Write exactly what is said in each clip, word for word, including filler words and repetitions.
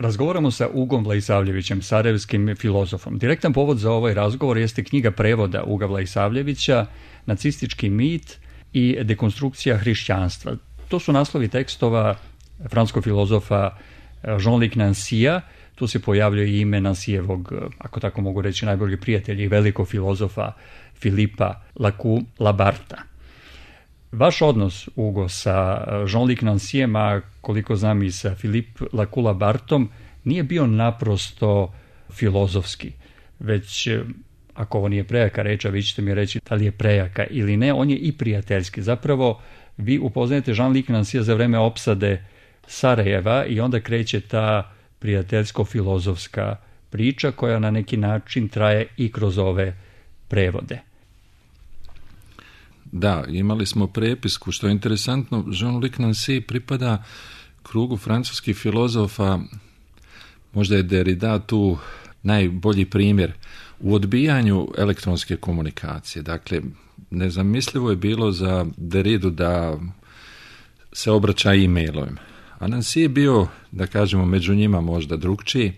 Razgovaramo sa Ugom Vlaisavljevićem, sarajevskim filozofom. Direktan povod za ovaj razgovor jeste knjiga prevoda Uga Vlaisavljevića, Nacistički mit i dekonstrukcija hrišćanstva. To su naslovi tekstova francuskog filozofa Jean-Luc Nancyja. Tu se pojavljuje i ime Nancyjevog, ako tako mogu reći, najboljeg prijatelja i velikog filozofa Filipa Lacoue-Labartha. Vaš odnos, Ugo, sa Jean-Luc Nancyjem, a koliko znam i sa Philippe Lacoue-Labarthom, nije bio naprosto filozofski, već, ako ovo nije prejaka reč, a vi ćete mi reći da li je prejaka ili ne, on je i prijateljski. Zapravo, vi upoznajete Jean-Luc Nancyja za vreme opsade Sarajeva i onda kreće ta prijateljsko-filozofska priča koja na neki način traje i kroz ove prevode. Da, imali smo prepisku, što je interesantno, Jean-Luc Nancy pripada krugu francuskih filozofa, možda je Derrida tu najbolji primjer u odbijanju elektronske komunikacije. Dakle, nezamislivo je bilo za Derridu da se obraća e-mailom. A Nancy je bio, da kažemo, među njima možda drugčiji.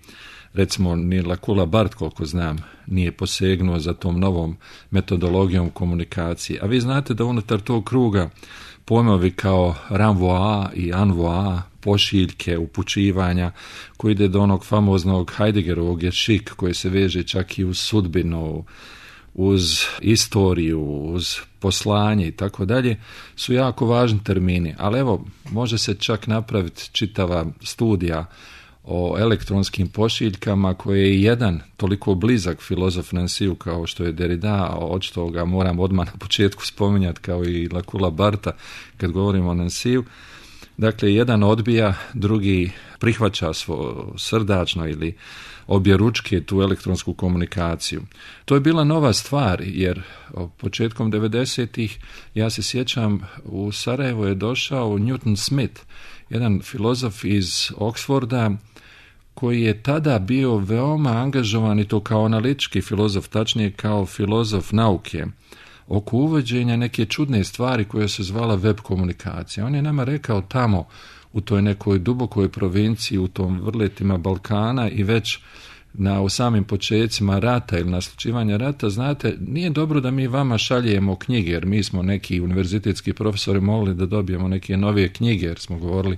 Recimo, ni Lacoue-Labarthe, koliko znam, nije posegnuo za tom novom metodologijom komunikacije. A vi znate da unutar tog kruga pojmovi kao renvoi i envoi, pošiljke, upućivanja, koji ide do onog famoznog Heideggerovog ješik, koji se veže čak i uz sudbinu, uz istoriju, uz poslanje i tako dalje, su jako važni termini. Ali evo, može se čak napraviti čitava studija o elektronskim pošiljkama, koje je jedan toliko blizak filozof Nancyju kao što je Derrida, a očito ga moram odmah na početku spominjati kao i Lacoue-Labartha kad govorimo o Nancyju. Dakle, jedan odbija, drugi prihvaća svo srdačno ili objeručke tu elektronsku komunikaciju. To je bila nova stvar, jer početkom devedesetih, ja se sjećam, u Sarajevo je došao Newton Smith, jedan filozof iz Oxforda, koji je tada bio veoma angažovan i to kao analitički filozof, tačnije kao filozof nauke, oko uvođenja neke čudne stvari koja se zvala web komunikacija. On je nama rekao tamo u toj nekoj dubokoj provinciji, u tom vrletima Balkana i već na u samim počecima rata ili naslučivanja rata, znate, nije dobro da mi vama šaljemo knjige, jer mi smo neki univerzitetski profesori mogli da dobijemo neke novije knjige, jer smo govorili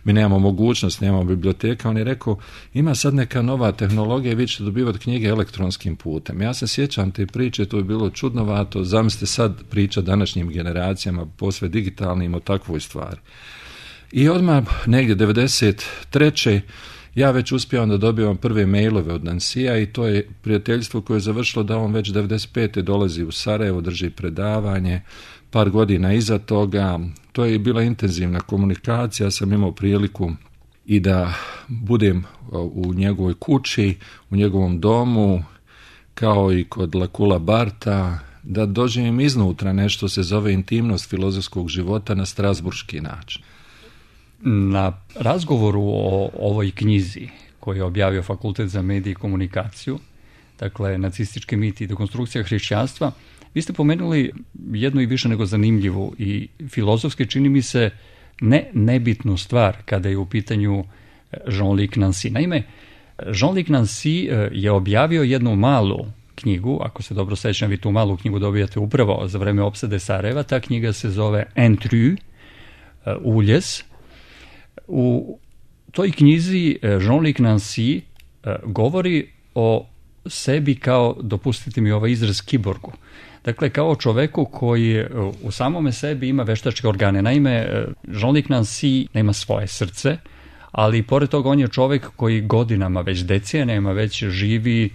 mi nemamo mogućnost, nemamo biblioteka. On je rekao, ima sad neka nova tehnologija i vi ćete dobivati knjige elektronskim putem. Ja se sjećam te priče, to je bilo čudnovato, zamislite sad priča današnjim generacijama, posve digitalnim, o takvoj stvari. I odmah negdje devedeset treće ja već uspijevam da dobivam prve mailove od Nancyja i to je prijateljstvo koje je završilo da on već devedeset pete dolazi u Sarajevo, drži predavanje, par godina iza toga. To je bila intenzivna komunikacija, ja sam imao priliku i da budem u njegovoj kući, u njegovom domu, kao i kod Lacoue-Labartha, da doživim iznutra nešto se zove intimnost filozofskog života na strasburški način. Na razgovoru o ovoj knjizi koju je objavio Fakultet za medije i komunikaciju, dakle Nacistički mit i dekonstrukcija hrišćanstva, vi ste pomenuli jednu i više nego zanimljivu i filozofski, čini mi se, ne nebitnu stvar kada je u pitanju Jean-Luc Nancy. Naime, Jean-Luc Nancy je objavio jednu malu knjigu, ako se dobro sećam, vi tu malu knjigu dobijate upravo za vreme opsade Sarajeva. Ta knjiga se zove Intrus, Uljes. U toj knjizi Jean-Luc Nancy govori o sebi kao, dopustite mi ovaj izraz, kiborgu. Dakle, kao čoveku koji u samome sebi ima veštačke organe. Naime, Jean-Luc Nancy nema svoje srce, ali pored toga on je čovek koji godinama, već decenijama, već živi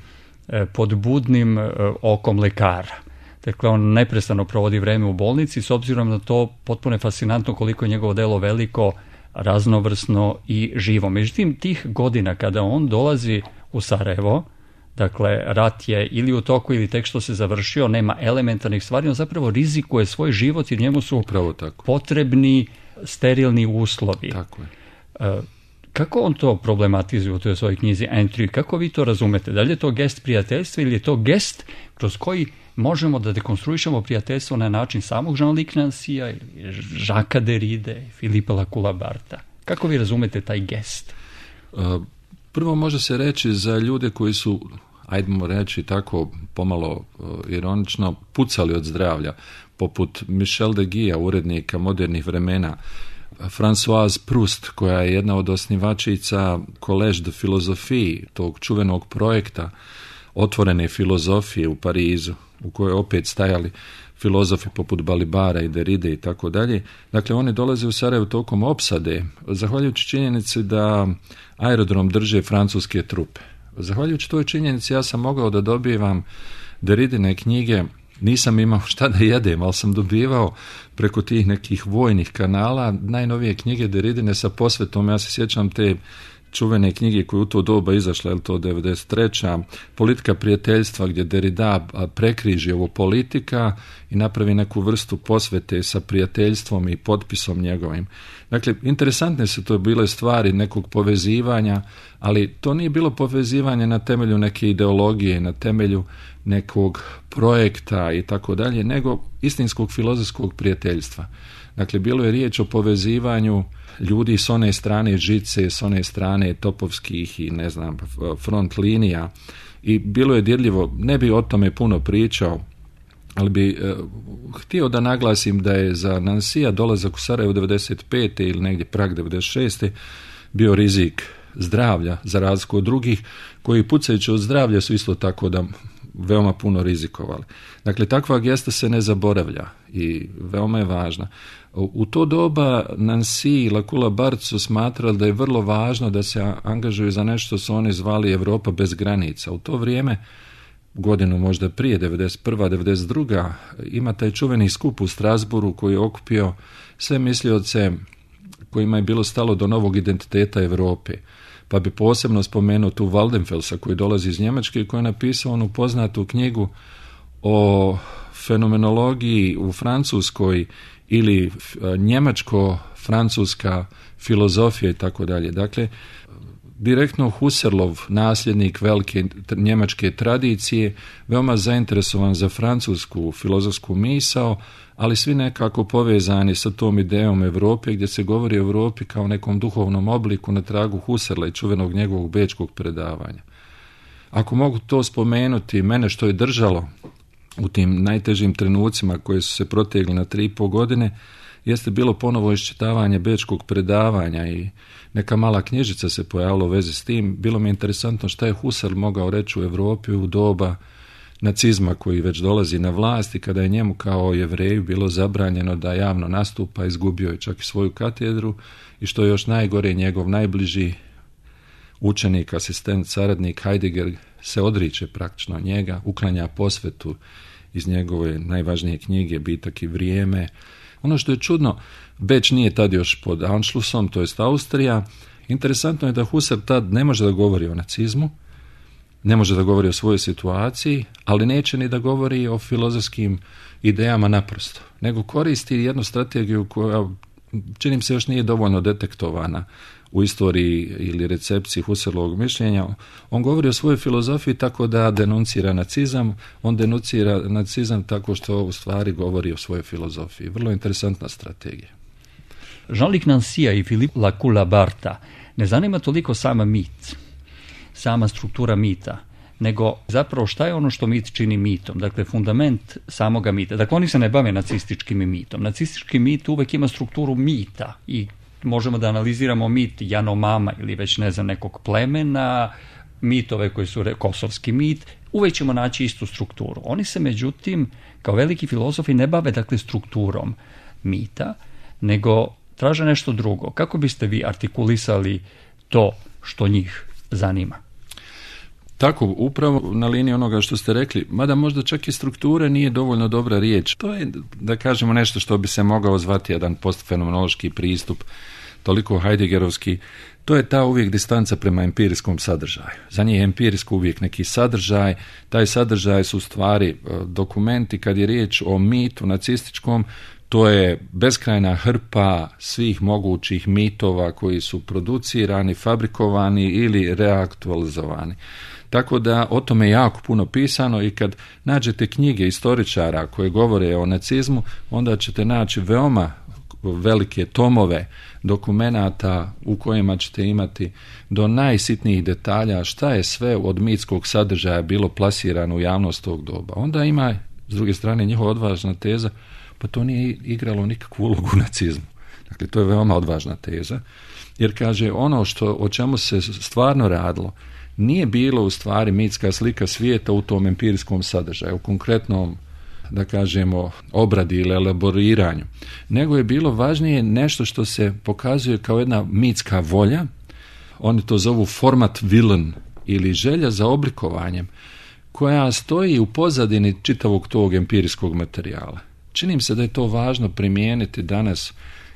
pod budnim okom lekara. Dakle, on neprestano provodi vreme u bolnici, s obzirom na to potpuno je fascinantno koliko je njegovo delo veliko, raznovrsno i živo. Međutim, tih godina kada on dolazi u Sarajevo, dakle, rat je ili u toku ili tek što se završio, nema elementarnih stvari, on zapravo rizikuje svoj život jer njemu su potrebni sterilni uslovi. Tako je. Kako on to problematizuje u toj svojoj knjizi Intrus? Kako vi to razumete? Da li je to gest prijateljstva ili je to gest kroz koji možemo da dekonstruišemo prijateljstvo na način samog Jean-Luc Nancyja ili Jacquesa Derride, Filipa Lacoue-Labartha? Kako vi razumete taj gest? Uh, Prvo može se reći za ljude koji su, ajdemo reći tako pomalo uh, ironično, pucali od zdravlja, poput Michel de Guija, urednika modernih vremena, Françoise Proust, koja je jedna od osnivačica Collège de Philosophie, tog čuvenog projekta otvorene filozofije u Parizu, u kojoj opet stajali filozofi poput Balibara i Derride i tako dalje. Dakle, oni dolaze u Sarajevo tokom opsade, zahvaljujući činjenici da aerodrom drže francuske trupe. Zahvaljujući toj činjenici ja sam mogao da dobivam Derridine knjige. Nisam imao šta da jedem, ali sam dobivao preko tih nekih vojnih kanala najnovije knjige Derridine sa posvetom. Ja se sjećam te čuvene knjige koje u to doba izašla, je li to devedeset treća Politika prijateljstva, gdje Derrida prekriži ovo politika i napravi neku vrstu posvete sa prijateljstvom i potpisom njegovim. Dakle, interesantne su to bile stvari nekog povezivanja, ali to nije bilo povezivanje na temelju neke ideologije, na temelju nekog projekta i tako dalje, nego istinskog filozofskog prijateljstva. Dakle, bilo je riječ o povezivanju ljudi s one strane žice, s one strane topovskih i ne znam, front linija, i bilo je dirljivo. Ne bi o tome puno pričao, ali bi eh, htio da naglasim da je za Nansija dolazak u Sarajevo devedeset pete ili negdje Prag devedeset šeste bio rizik zdravlja, za razliku od drugih koji pucajući od zdravlja su isto tako da veoma puno rizikovali. Dakle, takva gesta se ne zaboravlja i veoma je važna. U to doba Nancy i Lakula Bart su smatrali da je vrlo važno da se angažuju za nešto su oni zvali Europa bez granica. U to vrijeme, godinu možda prije, devedeset prva devedeset druga ima taj čuveni skup u Strasburu koji je okupio sve mislioce kojima je bilo stalo do novog identiteta Europe. Pa bi posebno spomenuo tu Waldenfelsa koji dolazi iz Njemačke i koji je napisao onu poznatu knjigu o fenomenologiji u Francuskoj ili njemačko-francuska filozofija i tako dalje. Dakle, direktno Husserlov, nasljednik velike njemačke tradicije, veoma zainteresovan za francusku filozofsku misao, ali svi nekako povezani sa tom idejom Europe, gdje se govori o Europi kao nekom duhovnom obliku na tragu Husserla i čuvenog njegovog bečkog predavanja. Ako mogu to spomenuti, mene što je držalo u tim najtežim trenucima koje su se protegli na tri i po godine, jeste bilo ponovo iščitavanje bečkog predavanja i neka mala knjižica se pojavila u vezi s tim. Bilo mi je interesantno šta je Husserl mogao reći u Europi u doba nacizma koji već dolazi na vlast i kada je njemu kao Jevreju bilo zabranjeno da javno nastupa, izgubio je čak i svoju katedru i što je još najgore, njegov najbliži učenik, asistent, saradnik Heidegger se odriče praktično njega, uklanja posvetu iz njegove najvažnije knjige Bitak i vrijeme. Ono što je čudno, Beč nije tad još pod Anschlussom, to jest Austrija. Interesantno je da Husserl tad ne može da govori o nacizmu, ne može da govori o svojoj situaciji, ali neće ni da govori o filozofskim idejama naprosto, nego koristi jednu strategiju koja, čini mi se, još nije dovoljno detektovana u istoriji ili recepciji Husserlovog mišljenja. On govori o svojoj filozofiji tako da denuncira nacizam, on denuncira nacizam tako što u stvari govori o svojoj filozofiji. Vrlo interesantna strategija. Jean-Luc Nancy i Philippe Lakula Barta ne zanima toliko sama mit, sama struktura mita, nego zapravo šta je ono što mit čini mitom, dakle fundament samoga mita. Dakle, oni se ne bave nacističkim mitom. Nacistički mit uvek ima strukturu mita i možemo da analiziramo mit Janomama ili već ne znam nekog plemena, mitove koji su kosovski mit, uvek ćemo naći istu strukturu. Oni se međutim kao veliki filozofi ne bave dakle strukturom mita, nego traže nešto drugo. Kako biste vi artikulisali to što njih zanima? Tako, upravo na liniji onoga što ste rekli, mada možda čak i struktura nije dovoljno dobra riječ. To je, da kažemo, nešto što bi se mogao zvati jedan postfenomenološki pristup, toliko Heideggerovski. To je ta uvijek distanca prema empirijskom sadržaju. Za njih je empirijsko uvijek neki sadržaj, taj sadržaj su stvari dokumenti. Kad je riječ o mitu nacističkom, to je beskrajna hrpa svih mogućih mitova koji su producirani, fabrikovani ili reaktualizovani. Tako da o tome je jako puno pisano i kad nađete knjige istoričara koje govore o nacizmu, onda ćete naći veoma velike tomove dokumenata u kojima ćete imati do najsitnijih detalja šta je sve od mitskog sadržaja bilo plasirano u javnost tog doba. Onda ima, s druge strane, njihova odvažna teza, pa to nije igralo nikakvu ulogu u nacizmu. Dakle, to je veoma odvažna teza, jer kaže ono što, o čemu se stvarno radilo, nije bilo u stvari mitska slika svijeta u tom empirijskom sadržaju, u konkretnom, da kažemo, obradi ili elaboriranju, nego je bilo važnije nešto što se pokazuje kao jedna mitska volja, oni to zovu format willen ili želja za oblikovanjem, koja stoji u pozadini čitavog tog empirijskog materijala. Čini mi se da je to važno primijeniti danas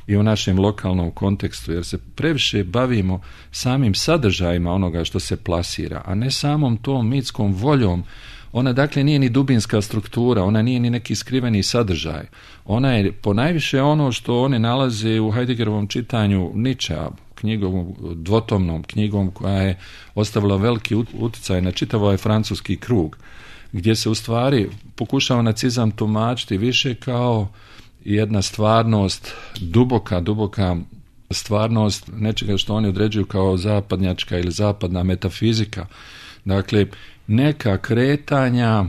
i u našem lokalnom kontekstu, jer se previše bavimo samim sadržajima onoga što se plasira, a ne samom tom mitskom voljom. Ona dakle nije ni dubinska struktura, ona nije ni neki skriveni sadržaj. Ona je ponajviše ono što oni nalaze u Heideggerovom čitanju Nietzschea, knjigom, dvotomnom knjigom koja je ostavila veliki utjecaj na čitav ovaj francuski krug, gdje se u stvari pokušava nacizam tumačiti više kao jedna stvarnost, duboka, duboka stvarnost nečega što oni određuju kao zapadnjačka ili zapadna metafizika. Dakle, neka kretanja,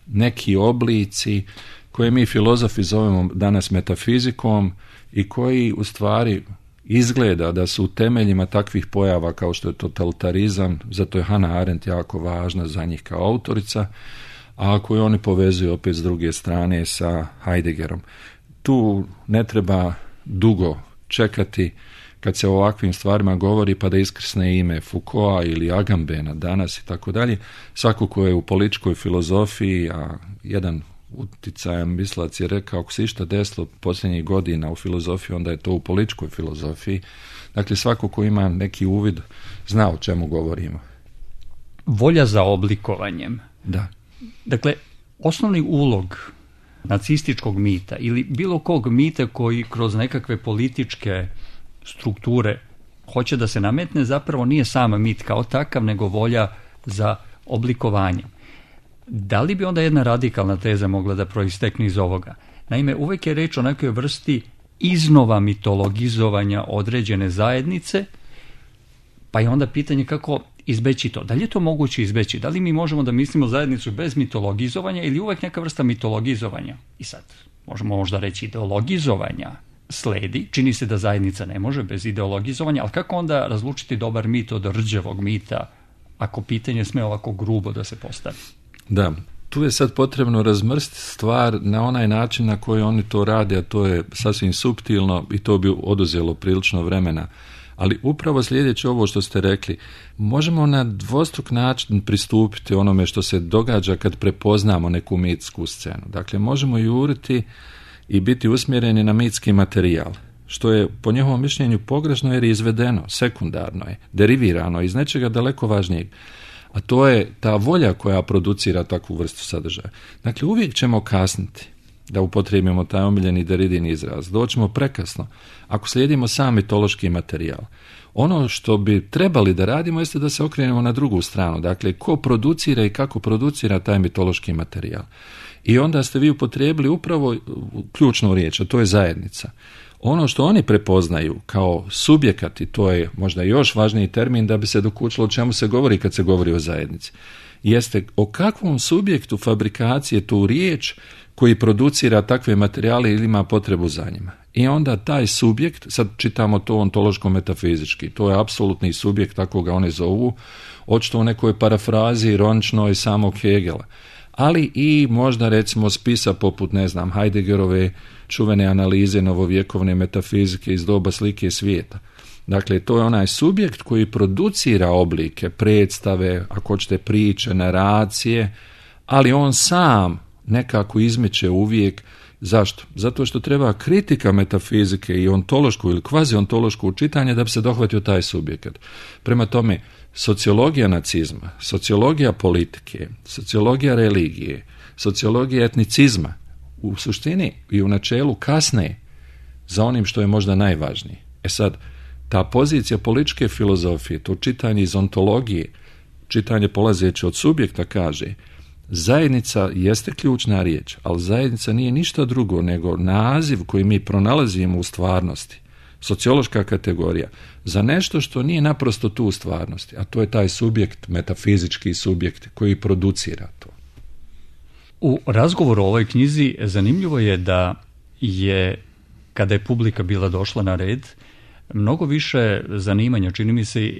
neki oblici koje mi filozofi zovemo danas metafizikom i koji u stvari izgleda da su u temeljima takvih pojava kao što je totalitarizam, zato je Hannah Arendt jako važna za njih kao autorica, a koju oni povezuju opet s druge strane sa Heideggerom. Tu ne treba dugo čekati kad se o ovakvim stvarima govori pa da iskrsne ime Foucaulta ili Agambena danas i tako dalje. Svako ko je u političkoj filozofiji, a jedan uticajan mislac je rekao ako se išta desilo posljednjih godina u filozofiji, onda je to u političkoj filozofiji. Dakle, svako ko ima neki uvid zna o čemu govorimo. Volja za oblikovanjem. Da. Dakle, osnovni ulog nacističkog mita ili bilo kog mita koji kroz nekakve političke strukture hoće da se nametne, zapravo nije sam mit kao takav, nego volja za oblikovanje. Da li bi onda jedna radikalna teza mogla da proistekne iz ovoga? Naime, uvek je reč o nekoj vrsti iznova mitologizovanja određene zajednice, pa je onda pitanje kako izbeći to. Da li je to moguće izbeći? Da li mi možemo da mislimo zajednicu bez mitologizovanja ili uvek neka vrsta mitologizovanja? I sad, možemo možda reći ideologizovanja sledi, čini se da zajednica ne može bez ideologizovanja, ali kako onda razlučiti dobar mit od rđevog mita, ako pitanje sme ovako grubo da se postavi? Da, tu je sad potrebno razmrstiti stvar na onaj način na koji oni to rade, a to je sasvim suptilno i to bi oduzelo prilično vremena. Ali upravo sljedeći ovo što ste rekli, možemo na dvostruk način pristupiti onome što se događa kad prepoznamo neku mitsku scenu. Dakle, možemo juriti i biti usmjereni na mitski materijal, što je po njihovom mišljenju pogrešno jer je izvedeno, sekundarno je, derivirano iz nečega daleko važnijeg. A to je ta volja koja producira takvu vrstu sadržaja. Dakle, uvijek ćemo kasniti da upotrijebimo taj omiljeni Derridin izraz. Doćemo prekasno ako slijedimo sam mitološki materijal. Ono što bi trebali da radimo jeste da se okrenemo na drugu stranu. Dakle, ko producira i kako producira taj mitološki materijal. I onda ste vi upotrijebili upravo ključnu riječ, a to je zajednica. Ono što oni prepoznaju kao subjekati, to je možda još važniji termin da bi se dokučilo o čemu se govori kad se govori o zajednici, jeste o kakvom subjektu fabrikacije tu riječ koji producira takve materijale ili ima potrebu za njima. I onda taj subjekt, sad čitamo to ontološko-metafizički, to je apsolutni subjekt, tako ga oni zovu, očito u nekoj parafrazi ironičnoj samog Hegela. Ali i možda recimo spisa poput, ne znam, Heideggerove čuvene analize novovjekovne metafizike iz doba slike svijeta. Dakle, to je onaj subjekt koji producira oblike, predstave, ako hoćete priče, naracije, ali on sam nekako izmiče uvijek. Zašto? Zato što treba kritika metafizike i ontološko ili kvaziontološko čitanje da bi se dohvatio taj subjekt. Prema tome, sociologija nacizma, sociologija politike, sociologija religije, sociologija etnicizma u suštini i u načelu kasne za onim što je možda najvažnije. E sad, ta pozicija političke filozofije, to čitanje iz ontologije, čitanje polazeće od subjekta kaže, Zajednica jeste ključna riječ, ali zajednica nije ništa drugo nego naziv koji mi pronalazimo u stvarnosti, sociološka kategorija, za nešto što nije naprosto tu u stvarnosti, a to je taj subjekt, metafizički subjekt koji producira to. U razgovoru o ovoj knjizi zanimljivo je da je, kada je publika bila došla na red, mnogo više zanimanja, čini mi se,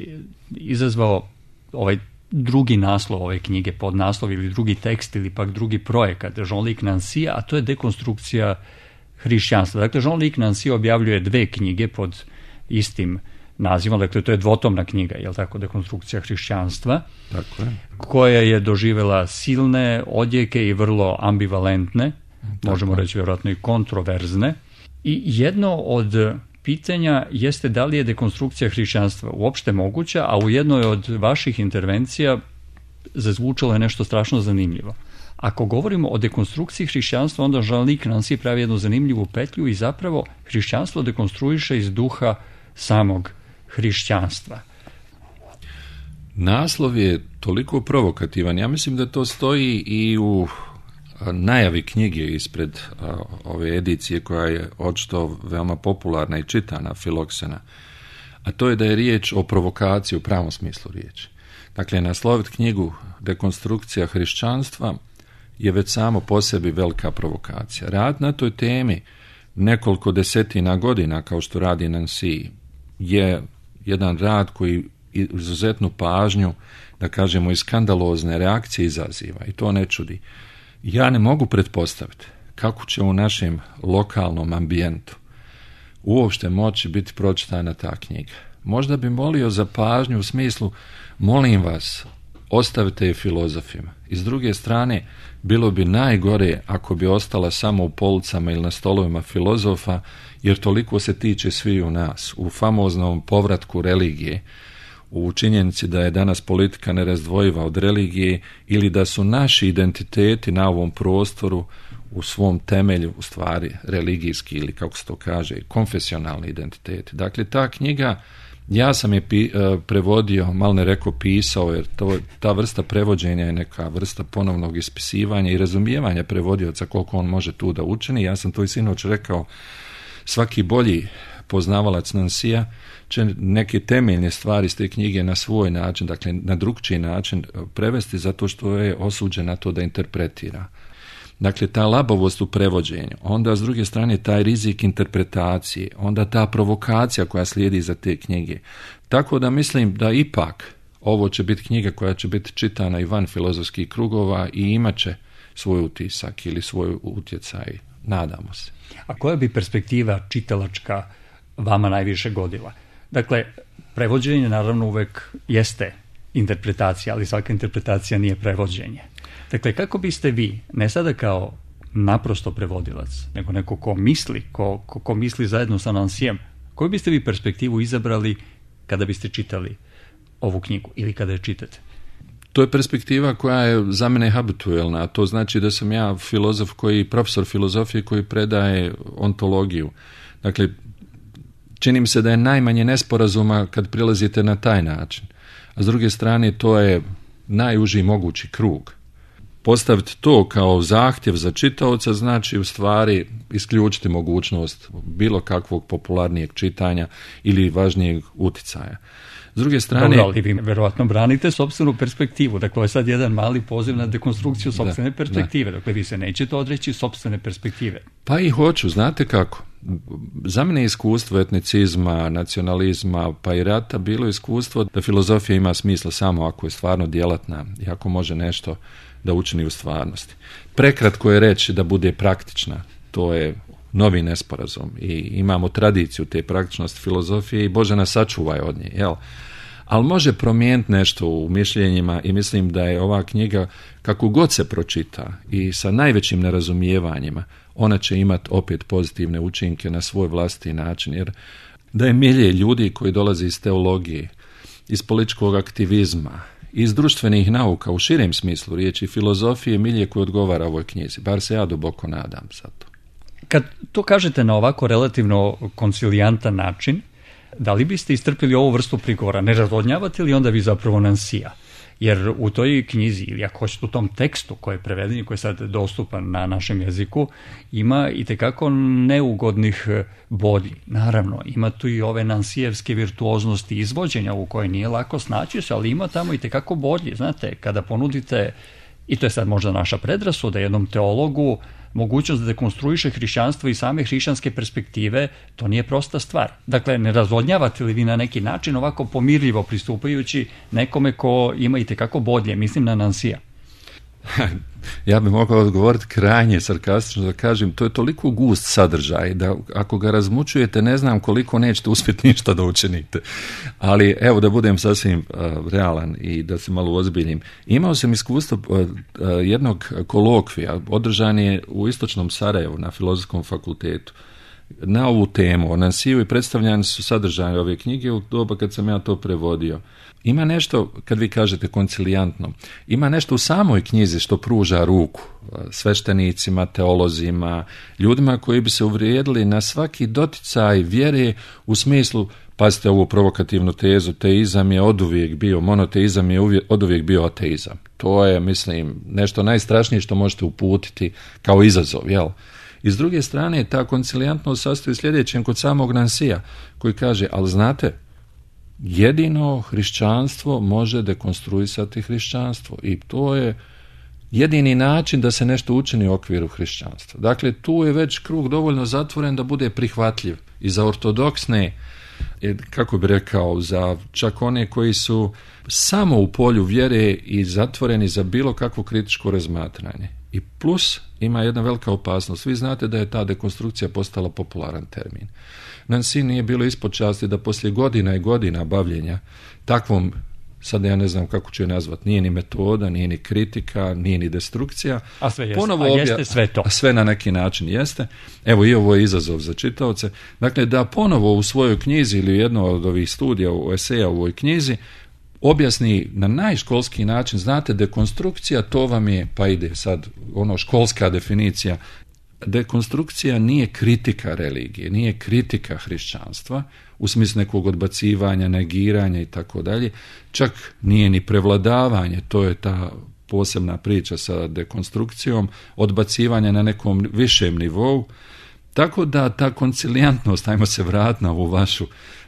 izazvao ovaj drugi naslov ove knjige, podnaslov ili drugi tekst ili pak drugi projekat Jean-Luc Nancy, a to je dekonstrukcija hrišćanstva. Dakle, Jean-Luc Nancy objavljuje dve knjige pod istim nazivom, dakle to je dvotomna knjiga, je li tako, dekonstrukcija hrišćanstva, tako je, koja je doživjela silne odjeke i vrlo ambivalentne, tako možemo reći vjerojatno i kontroverzne. I jedno od pitanja jeste da li je dekonstrukcija hrišćanstva uopšte moguća, a u jednoj od vaših intervencija zazvučalo je nešto strašno zanimljivo. Ako govorimo o dekonstrukciji hrišćanstva, onda Jean-Luc Nancy pravi jednu zanimljivu petlju i zapravo hrišćanstvo dekonstruiše iz duha samog hrišćanstva. Naslov je toliko provokativan. Ja mislim da to stoji i u najavi knjige ispred a, ove edicije koja je očito veoma popularna i čitana, Filoksena, a to je da je riječ o provokaciji u pravom smislu riječi. Dakle, nasloviti knjigu Dekonstrukcija hrišćanstva je već samo po sebi velika provokacija. Rad na toj temi nekoliko desetina godina, kao što radi Nancy, je jedan rad koji izuzetnu pažnju, da kažemo, i skandalozne reakcije izaziva i to ne čudi. Ja ne mogu pretpostaviti kako će u našem lokalnom ambijentu uopšte moći biti pročitana ta knjiga. Možda bi molio za pažnju u smislu, molim vas, ostavite je filozofima. I s druge strane, bilo bi najgore ako bi ostala samo u policama ili na stolovima filozofa, jer toliko se tiče svi u nas, u famoznom povratku religije, u činjenici da je danas politika nerazdvojiva od religije ili da su naši identiteti na ovom prostoru u svom temelju u stvari religijski ili kako se to kaže konfesionalni identiteti. Dakle, ta knjiga, ja sam je pi, prevodio, malo ne rekao pisao, jer to, ta vrsta prevođenja je neka vrsta ponovnog ispisivanja i razumijevanja prevodioca koliko on može tu da učini. Ja sam to i sinoć rekao, svaki bolji poznavalac Nancyja će neke temeljne stvari iz te knjige na svoj način, dakle na drugčiji način prevesti zato što je osuđen na to da interpretira. Dakle, ta labovost u prevođenju, onda s druge strane taj rizik interpretacije, onda ta provokacija koja slijedi za te knjige. Tako da mislim da ipak ovo će biti knjiga koja će biti čitana i van filozofskih krugova i imat će svoj utisak ili svoj utjecaj, nadamo se. A koja bi perspektiva čitalačka vama najviše godila? Dakle, prevođenje naravno uvek jeste interpretacija, ali svaka interpretacija nije prevođenje. Dakle, kako biste vi, ne sada kao naprosto prevodilac, nego neko ko misli, ko, ko, ko misli zajedno sa Nancyjem, koju biste vi perspektivu izabrali kada biste čitali ovu knjigu ili kada je čitate? To je perspektiva koja je za mene habituelna, a to znači da sam ja filozof koji, profesor filozofije koji predaje ontologiju. Dakle, čini mi se da je najmanje nesporazuma kad prilazite na taj način. A s druge strane, to je najuži mogući krug. Postaviti to kao zahtjev za čitaoca znači u stvari isključiti mogućnost bilo kakvog popularnijeg čitanja ili važnijeg uticaja. S druge strane... Dobro, ali vi verovatno branite sopstvenu perspektivu. Dakle, ovo je sad jedan mali poziv na dekonstrukciju sopstvene da, perspektive. Da. Dakle, vi se nećete odreći sopstvene perspektive. Pa i hoću, znate kako. Za mene iskustvo etnicizma, nacionalizma, pa i rata bilo iskustvo da filozofija ima smisla samo ako je stvarno djelatna i ako može nešto da učini u stvarnosti. Prekratko je reći da bude praktična. To je novi nesporazum i imamo tradiciju te praktičnosti filozofije i Bože nas sačuvaj od nje, jel? Ali može promijeniti nešto u mišljenjima i mislim da je ova knjiga, kako god se pročita i sa najvećim nerazumijevanjima, ona će imati opet pozitivne učinke na svoj vlastiti način, jer da je milje ljudi koji dolaze iz teologije, iz političkog aktivizma, iz društvenih nauka u širem smislu riječi filozofije, milje koji odgovara ovoj knjizi, bar se ja duboko nadam za to. Kad to kažete na ovako relativno koncilijantan način, da li biste istrpili ovu vrstu prigovora? Ne razvodnjavate li onda vi zapravo Nancyja? Jer u toj knjizi, ili ako hoćete u tom tekstu koji je preveden i koji je sad dostupan na našem jeziku, ima i tekako neugodnih bolji. Naravno, ima tu i ove nansijevske virtuoznosti izvođenja u kojoj nije lako snaći se, ali ima tamo i tekako bolji. Znate, kada ponudite, i to je sad možda naša predrasuda, jednom teologu mogućnost da dekonstruiše hrišćanstvo i same hrišćanske perspektive, to nije prosta stvar. Dakle, ne razvodnjavate li vi na neki način ovako pomirljivo pristupajući nekome ko ima i tekako bolje, mislim na Nansija? Ja bih mogao odgovoriti krajnje sarkastično da kažem, to je toliko gust sadržaj da ako ga razmučujete ne znam koliko nećete uspjeti ništa da učinite. Ali evo da budem sasvim uh, realan i da se malo ozbiljim. Imao sam iskustvo uh, uh, jednog kolokvija, održan je u istočnom Sarajevu na Filozofskom fakultetu na ovu temu o Nansiju i predstavljani su sadržaje ove knjige u doba kad sam ja to prevodio. Ima nešto, kad vi kažete koncilijantno, ima nešto u samoj knjizi što pruža ruku sveštenicima, teolozima, ljudima koji bi se uvrijedili na svaki doticaj vjere u smislu, pazite ovu provokativnu tezu, teizam je oduvijek bio, monoteizam je uvijek, oduvijek bio ateizam. To je, mislim, nešto najstrašnije što možete uputiti kao izazov, jel? I s druge strane, ta koncilijantnost sastoji sljedećem kod samog Nansija, koji kaže, ali znate, jedino hrišćanstvo može dekonstruisati hrišćanstvo i to je jedini način da se nešto učini u okviru hrišćanstva. Dakle, tu je već krug dovoljno zatvoren da bude prihvatljiv i za ortodoksne, kako bi rekao, za čak one koji su samo u polju vjere i zatvoreni za bilo kakvo kritičko razmatranje. I plus ima jedna velika opasnost. Vi znate da je ta dekonstrukcija postala popularan termin. Nansi nije bilo ispod časti da poslije godina i godina bavljenja takvom, sad ja ne znam kako ću je nazvat, nije ni metoda, nije ni kritika, nije ni destrukcija. A sve jeste, a jeste obja... sve to. A sve na neki način jeste. Evo i ovo je izazov za čitaoce. Dakle, da ponovo u svojoj knjizi ili jedno od ovih studija, u eseja u ovoj knjizi, objasni na najškolski način, znate, dekonstrukcija, to vam je, pa ide sad ono školska definicija, dekonstrukcija nije kritika religije, nije kritika hrišćanstva, u smislu nekog odbacivanja, negiranja i tako dalje, čak nije ni prevladavanje, to je ta posebna priča sa dekonstrukcijom, odbacivanje na nekom višem nivou, tako da ta koncilijantnost, ajmo se vratiti na ovu vašu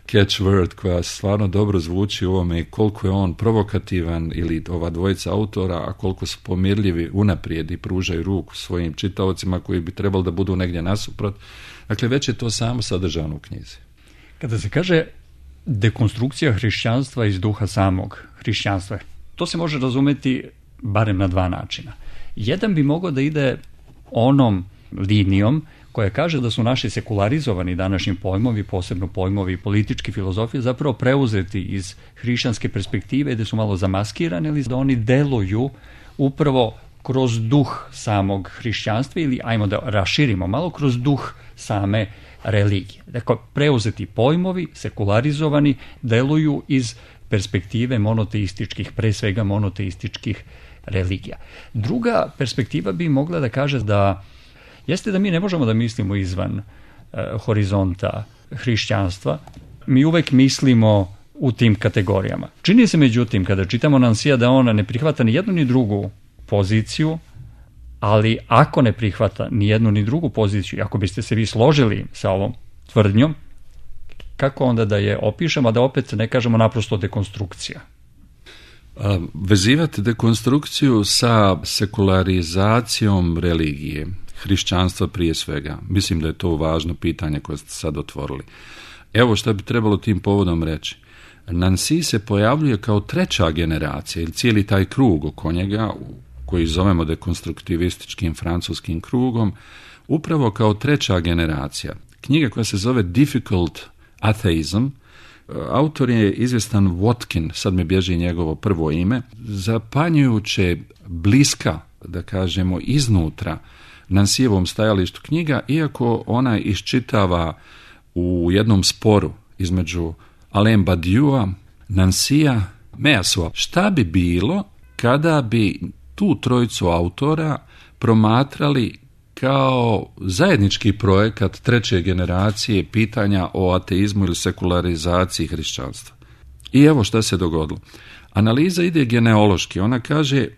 catchword koja stvarno dobro zvuči u ovome i koliko je on provokativan ili ova dvojica autora, a koliko su pomirljivi unaprijed i pružaju ruku svojim čitaocima koji bi trebali da budu negdje nasuprot. Dakle, već je to samo sadržano u knjizi. Kada se kaže dekonstrukcija hrišćanstva iz duha samog hrišćanstva, to se može razumjeti barem na dva načina. Jedan bi mogao da ide onom linijom koja kaže da su naši sekularizovani današnji pojmovi, posebno pojmovi politički filozofije, zapravo preuzeti iz hrišćanske perspektive, da su malo zamaskirani ili da oni deluju upravo kroz duh samog hrišćanstva ili, ajmo da raširimo malo, kroz duh same religije. Dakle, preuzeti pojmovi, sekularizovani, deluju iz perspektive monoteističkih, pre svega monoteističkih religija. Druga perspektiva bi mogla da kaže da jeste da mi ne možemo da mislimo izvan e, horizonta hrišćanstva, mi uvek mislimo u tim kategorijama. Čini se međutim, kada čitamo Nansija, da ona ne prihvata ni jednu ni drugu poziciju, ali ako ne prihvata ni jednu ni drugu poziciju, ako biste se vi složili sa ovom tvrdnjom, kako onda da je opišemo, a da opet ne kažemo naprosto dekonstrukcija? A, vezivati dekonstrukciju sa sekularizacijom religije, hrišćanstva prije svega. Mislim da je to važno pitanje koje ste sad otvorili. Evo što bi trebalo tim povodom reći. Nansi se pojavljuje kao treća generacija ili cijeli taj krug oko njega, koji zovemo dekonstruktivističkim francuskim krugom, upravo kao treća generacija. Knjiga koja se zove Difficult Atheism, autor je izvjestan Watkin, sad mi bježi njegovo prvo ime, zapanjujuće bliska, da kažemo, iznutra Nansijevom stajalištu knjiga, iako ona iščitava u jednom sporu između Alain Badiou, Nansija, Measua. Šta bi bilo kada bi tu trojicu autora promatrali kao zajednički projekat treće generacije pitanja o ateizmu ili sekularizaciji hrišćanstva? I evo šta se dogodilo. Analiza ide genealoški. Ona kaže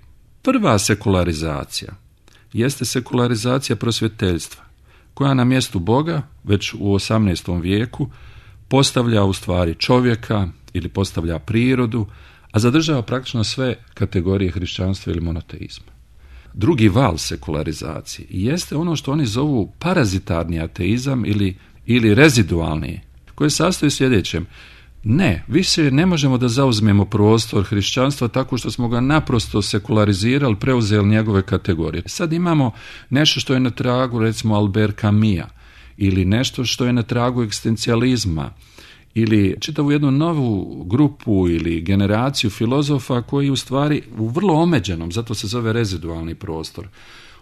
prva sekularizacija jeste sekularizacija prosvjeteljstva, koja na mjestu Boga, već u osamnaestom vijeku, postavlja u stvari čovjeka ili postavlja prirodu, a zadržava praktično sve kategorije hrišćanstva ili monoteizma. Drugi val sekularizacije jeste ono što oni zovu parazitarni ateizam ili, ili rezidualni, koji sastoji sljedećem. Ne, više ne možemo da zauzmemo prostor hrišćanstva tako što smo ga naprosto sekularizirali, preuzeli njegove kategorije. Sad imamo nešto što je na tragu, recimo, Albert Camusa, ili nešto što je na tragu egzistencijalizma, ili čitavu jednu novu grupu ili generaciju filozofa koji u stvari u vrlo omeđenom, zato se zove rezidualni prostor,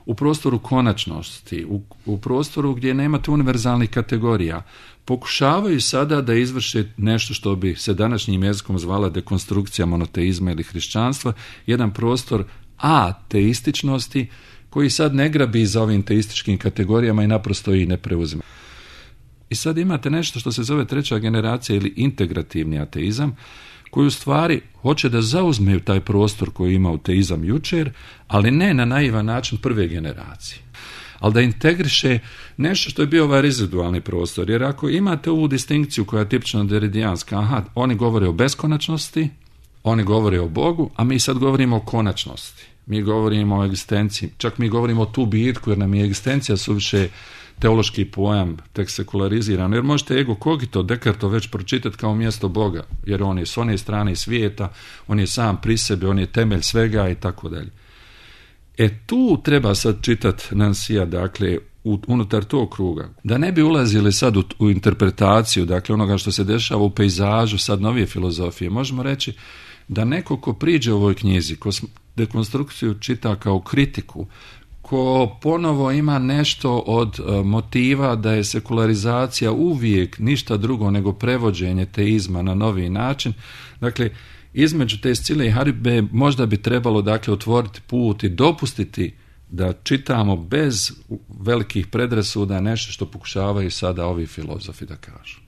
u prostoru konačnosti, u, u prostoru gdje nemate univerzalnih kategorija, pokušavaju sada da izvrše nešto što bi se današnjim jezikom zvala dekonstrukcija monoteizma ili hrišćanstva, jedan prostor ateističnosti koji sad ne grabi za ovim teističkim kategorijama i naprosto ih ne preuzima. I sad imate nešto što se zove treća generacija ili integrativni ateizam, koji u stvari hoće da zauzmeju taj prostor koji ima ateizam jučer, ali ne na naivan način prve generacije, ali da integriše nešto što je bio ovaj rezidualni prostor. Jer ako imate ovu distinkciju koja je tipično deridijanska, aha, oni govore o beskonačnosti, oni govore o Bogu, a mi sad govorimo o konačnosti. Mi govorimo o egzistenciji, čak mi govorimo o tu bitku, jer nam je egzistencija suviše teološki pojam, tek sekulariziran, jer možete ego cogito Descartes već pročitati kao mjesto Boga, jer on je s one strane svijeta, on je sam pri sebi, on je temelj svega i tako dalje. E tu treba sad čitati Nansija, dakle, u, unutar tog kruga, da ne bi ulazili sad u, u interpretaciju, dakle, onoga što se dešava u pejzažu sad novije filozofije. Možemo reći da neko ko priđe u ovoj knjizi, ko dekonstrukciju čita kao kritiku, ko ponovo ima nešto od uh, motiva da je sekularizacija uvijek ništa drugo nego prevođenje teizma na novi način. Dakle, između te Scile i Haribe možda bi trebalo, dakle, otvoriti put i dopustiti da čitamo bez velikih predrasuda nešto što pokušavaju sada ovi filozofi da kažu.